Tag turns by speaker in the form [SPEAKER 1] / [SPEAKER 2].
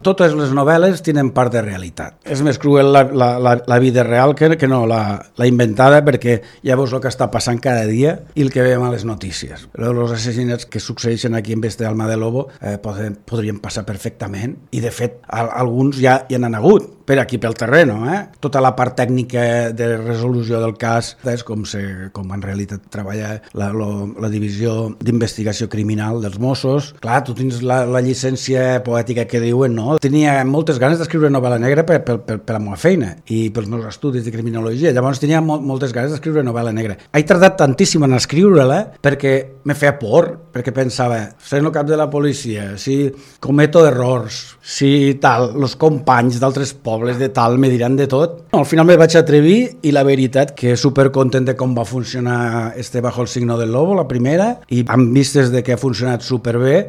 [SPEAKER 1] totes les novel·les tenen part de realitat. És més cruel la vida real que no la inventada, perquè ja veus el que està passant cada dia i el que veiem a les notícies. Els assassinats que succeeixen aquí en Besta Alma de Lobo podrien passar perfectament, i de fet alguns ja hi han hagut per aquí pel terreno. Tota la part tècnica de resolució del cas és com en realitat treballa la divisió d'investigació criminal dels Mossos. Clar, tu tens la llicència poètica que diuen, no? Tenia moltes ganes d'escriure novel·la negra per la meva feina i pels meus estudis de criminologia. Llavors tenia moltes ganes d'escriure novel·la negra. He tardat tantíssim en escriure-la perquè me feia por, perquè pensava, seré el cap de la policia, si cometo errors, si tal, els companys d'altres pobles de tal me diran de tot. Al final me vaig atrevir, i la veritat que supercontent de com va funcionar Bajo el signo del lobo, la primera, i amb vistes de que ha funcionat superbé,